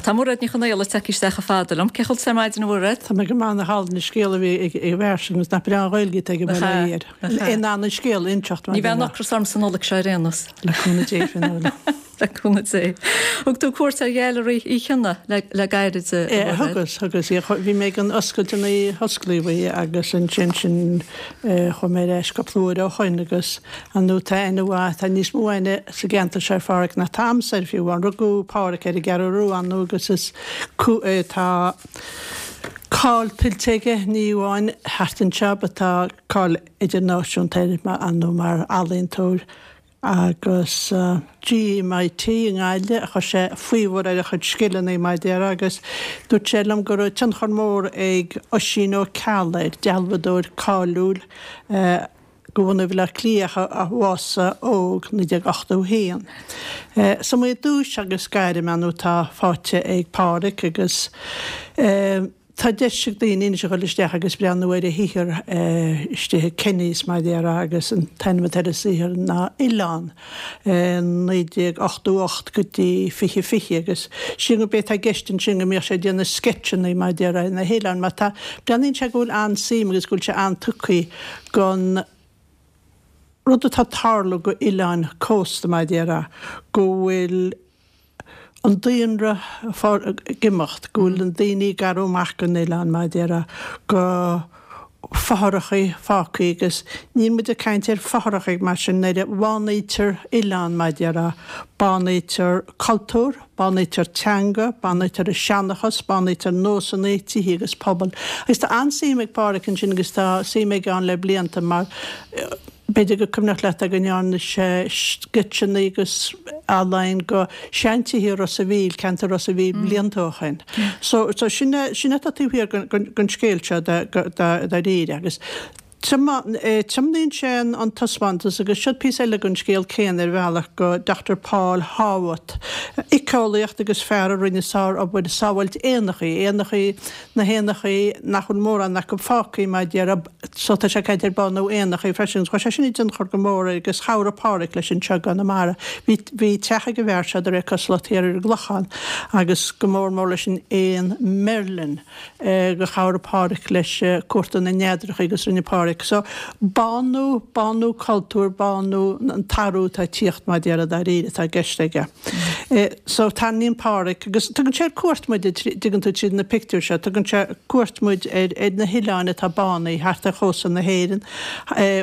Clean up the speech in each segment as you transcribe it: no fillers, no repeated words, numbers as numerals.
Tá Mairéad Ní Chonaola tagtha isteach chomh fada liom. Cén chaoi a bhfuil tú ar maidin a Mhairéad? Tá mé go maith nach álainn an scéal a bhí ag an bhfear sin agus nach breá an Ghaeilge atá aige bail ó Dhia air. In ann an scéal a inseacht Ní bheidh an ocras orm sa Nollaig seo ar aon nós. Le cúnamh Dé Fionnuala. Le cúnamh Dé. Thug tú cuairt ar Ghailearaí Uí Chionnaith le gairid a Mhairéad. Thugas, thugas. Bhí mé ag an oscailt an osclaíodh í agus ansin sin chuaigh mé ar ais cúpla uair ó shoin agus ar ndóigh tá aithne mhaith, tá níos mó aithne sa gceantar seo ar Phádhraic ná tá a'msa air fiú amháin. Rugadh Pádhraic ar an gCeathrú Rua ar ndóigh agus is tá cáil tuillte aige ní amháin thart anseo but tá cáil idirnáisiúnta air ar ndóigh mar ealaíontóir agus GMIT i nGaillimh a chuir sé faobhar ar a chuid scileanna mar a déarfá agus dúirt sé liom go raibh tionchar mór ag Oisín Ó Ceallaigh air, dealbhadóir cáiliúil de bhunadh Bhaile Átha Cliath a bhásaigh óg 1981. Is iomaí duais agus gairm ar ndóigh atá faighte ag Pádhraic agus. Tá deis ag daoine anois a dhul isteach agus breathnú ar a shaothar istigh i Kenny's mar a déarfá agus an t-ainm atá ar an saothar ná Oileán, 1988 go dtí 2020 agus sílim gurb é atá i gceist ansin go mbíodh sé ag déanamh sceitseanna mar a déarfá ar na hoileáin mar tá, breathnaíonn sé go bhfuil an-suim agus go bhfuil sé an-tugtha don rud atá ag tarlú go oileáin cósta mar a déarfá, go bhfuil. an daonra ag imeacht, go bhfuil na daoine ag éirí amach den oileán, mar a déarfá, go fothrachaí fágthaí agus níl muid ag caint ar fothrachaí mar sin, nuair a bhánaítear oileán, mar a déarfá, bánaítear cultúr, bánaítear teanga, bánaítear an seanchas, bánaítear nósanna, tithe agus pobail. Agus tá an-suim ag Pádhraic ansin agus tá suim aige ann le blianta mar. B'fhéidir gur cuimhneach leat go ndearna sé sceitseanna agus ealaín go seantithe Ros a' Mhíl, ceantar Ros a' Mhíl blianta ó shoin. So, so sin é, sin é atá taobh thiar den scéal seo dáiríre agus tiomnaíonn sé an taispeántas agus seo píosa eile den scéal céanna ar bhealach go Dr Paul Horwath, éiceolaíocht agus fear a rinne sár-obair sábháilt éanachaí, éanachaí, na héanachaí nach bhfuil mórán acu fágtha mar a déarfá, So tá sé ag caint ar bánú éanachaí freisin. Chuir sé sin i dtionchar go mór air agus chabhraigh Pádhraic leis anseo i gConamara. Bhí, bhí teach ag an bhfear seo de réir cosúlacht thiar ar an gClochán agus go mór mór leis an éan Merlin gur chabhraigh Pádhraic leis cuartú na neadracha agus rinne Pádhraic. So bánú, bánú cultúir, bánú an t-athrú atá ag tíocht mar a déarfá dáiríre atá i gceist aige. So tarraingíonn Pádhraic agus tugann sé ar cuairt muid, dtuigeann tú, tríd na pictiúir seo, tugann sé cuairt muid ar ar na hoileáin atá bánaithe thart ar chósta na hÉireann,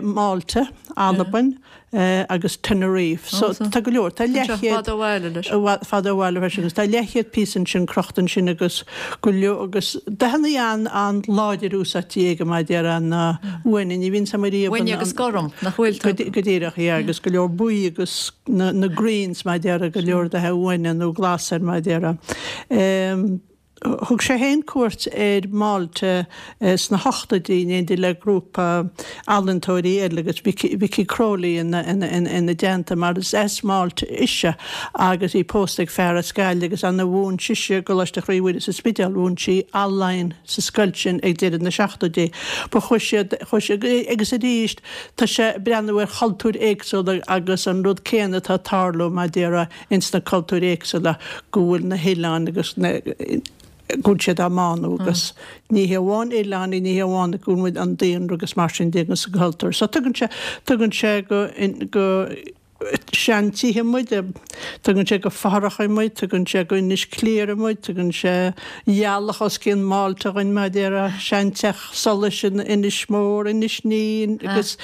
Málta, Albain agus Tenerife. So tá go leor, tá leathchéad. Fada ó bhaile leis. Fada ó bhaile freisin agus tá leathchéad píosa ansin crochta ansin agus go leor agus dathanna an-láidir úsáidte aige mar a déarfá na uaine, ní bhíonn sam ariamh. Uaine agus gorm, nach bhfuil? Go díreach, yeah, agus go leor buí agus na greens mar a déarfá, go leor dath uaine nó glas air mar a déarfá. Thug sé féin cuairt ar Mhálta sna hochtóidí in éindí le grúpa ealaíontóirí eile agus Vicky Crowley ina dteannta mar is as Málta ise agus í pósta ag fear as Gaillimh agus ann a mhúin sise i gColáiste Chroí Mhuire sa Spidéal, mhúin sí ealaín sa scoil sin ag deireadh na seachtóidí. Ba chuaigh siad, chuaigh siad agus arís Tá sé ag breathnú ar chultúir éagsúla agus an rud céanna atá ag tarlú, mar a déarfá, ins na cultúir éagsúla, go bhfuil na hoileáin agus na, go bhfuil siad á mbánú agus ní hé amháin oileáin, ní hé amháin go bhfuil an daonra agus mar sin de agus an cultúr. So tugann sé, tugann sé go, go seantithe muid, tugann sé go fothrachaí muid, tugann sé go Inis Cliara muid, tugann sé gealach os cionn Málta dhuinn, mar a déarfá, seanteach solais in Inis Mór, Inis Ní agus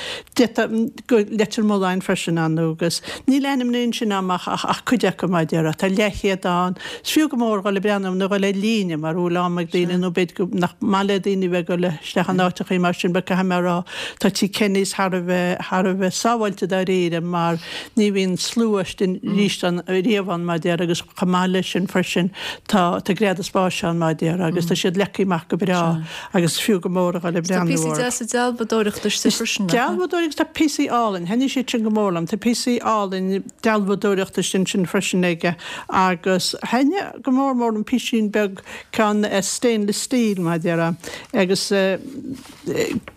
go Leitir Mealláin freisin ar ndóigh agus níl ainmnithe ansin agam ach ach cuid acu, mar a déarfá. Tá leathchéad ann. Is fiú go mór dhul ag breathnú nó dhul ar líne mura bhfuil am ag daoine nó b'fhéidir go nach maith le daoine bheith ag dul isteach in áiteachaí mar sin but caithfidh mé a rá tá Tigh Kenny's thar a bheith thar a bheith sábháilte dáiríre mar ní bhíonn slua istigh arís ann riamh ann mar a déarfá agus chomh maith leis sin freisin tá tá greadadh spáis ann mar a déarfá agus tá siad leagtha amach go breá agus is fiú go mór a dhul ag Tá breathnú píosaí orthu. deasa dealbhadóireachta istigh freisin, nach ea? Dealbhadóireacht, tá píosaí álainn, thaitnigh siad sin go mór liom, tá píosaí álainn dealbhadóireachta istigh ansin freisin aige agus thaitnigh go mór mór an písín beag ceann stainless steel mar a déarfá agus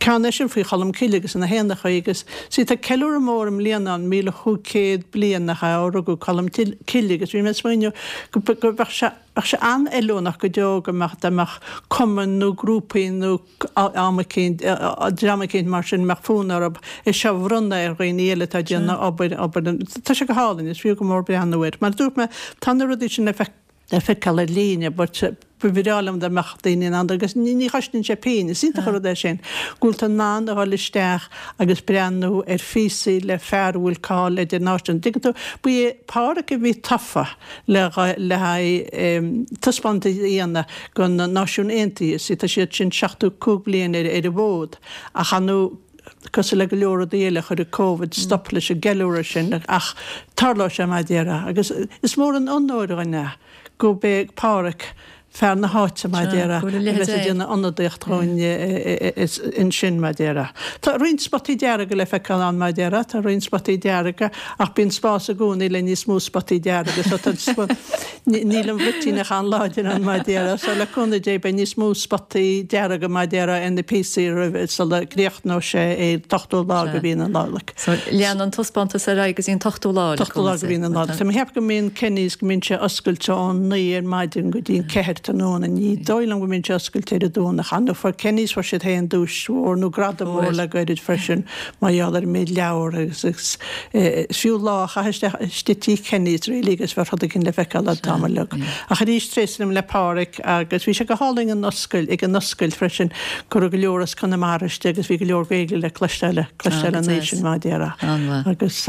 ceann é sin faoi Cholm Cille agus na héanachaí agus see tá ceiliúradh mór i mbliana ann 1005. 75 bliain nach ea ó rugadh Colm Cille agus bhí mé ag smaoineamh go go bheadh sé bheadh sé an-fheiliúnach go deo go mbeadh dá mbeadh cumainn nó grúpaí nó am eicínt dream eicínt mar sin a mbeadh fonn orthu é seo a bhronnadh ar dhaoine eile atá ag déanamh obair obair tá sé go hálainn is fiú go mór breathnú air. Mar a dúirt mé tá na rudaí sin le le feiceáil ar líne but ba bhreá liom dá mbeadh daoine in ann agus ní chosnaíonn sé pingin, is iontach an rud é sin go bhfuil tú in ann a dhul isteach agus breathnú ar phíosaí le fear a bhfuil cáil idirnáisiúnta. Tuigeann tú, ba é Pádhraic a bhí tofa le le haghaidh taispeántas a dhéanamh do na Náisiúin Aontaithe, is tá siad sin 75 bliain ar an bhfód ach ar ndóigh Cosúil le go leor rudaí eile, chuir an Covid stop leis an gceiliúradh sin ach tarlóidh sé mar a déarfá. Agus is mór an onóir dhúinn é gurb é Pádhraic, fear na háite mar a déarfá, a bheas ag déanamh ionadaíocht dhúinn ansin mar a déarfá. Tá roinnt spotaí dearga le feiceáil ann mar a déarfá, tá roinnt spotaí dearga ach bíonn spás i gcónaí le níos mó spotaí dearga so tá Níl an bhruitín ach an-láidir ann mar a déarfá, so le cúnamh Dé beidh níos mó spotaí dearga mar a déarfá ar na píosaí roimh sula gcríochnóidh sé é an t-ochtú lá de mhí na Nollag. So leanann an taispeántas ar aghaidh go dtí an t-ochtú lá le cúnamh Dé. T-ochtú lá de mhí na Nollag. Tá mé ag ceapadh go mbíonn Kenny's go mbíonn sé oscailte ón 9 ar maidin go dtí an 4 tráthnóna. Ní dóigh liom go mbíonn sé oscailte ar an Domhnach. Ar ndóigh fuair Kenny's fuair siad féin duais mhór nó gradam mór le gairid freisin mar gheall ar an méid leabhar agus is fiú lá a chaitheamh istigh tigh Kenny's really agus bheadh rud éigin le feiceáil an t-am uilig. Ach arís tréaslaím le Pádhraic agus bhí sé go hálainn an oscailt, ag an oscailt freisin go raibh go leor as Conamara istigh agus bhí go leor Gaeilge le cloisteáil, cloisteáil an oíche sin mar a déarfá. Agus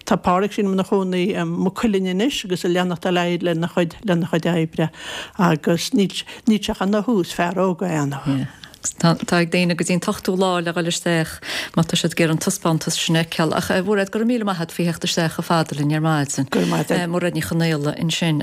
tá Pádhraic sílim ina chónaí i Maigh Cuilinn anois agus ag leanacht ar aghaidh lena chuid, lena chuid oibre agus níl, níl sé ach ina thús, fear óg é ar ndóigh. Tá ag daoine go dtí an t-ochtú lá le dhul isteach má tá siad ag iarraidh an taispeántas sin a fheiceáil. Ach a Mhairéad, go raibh míle maith agat faoi theacht isteach chomh fada linn ar maidin. Go raibh maith agat. Mairéad Ní Chonaola ansin.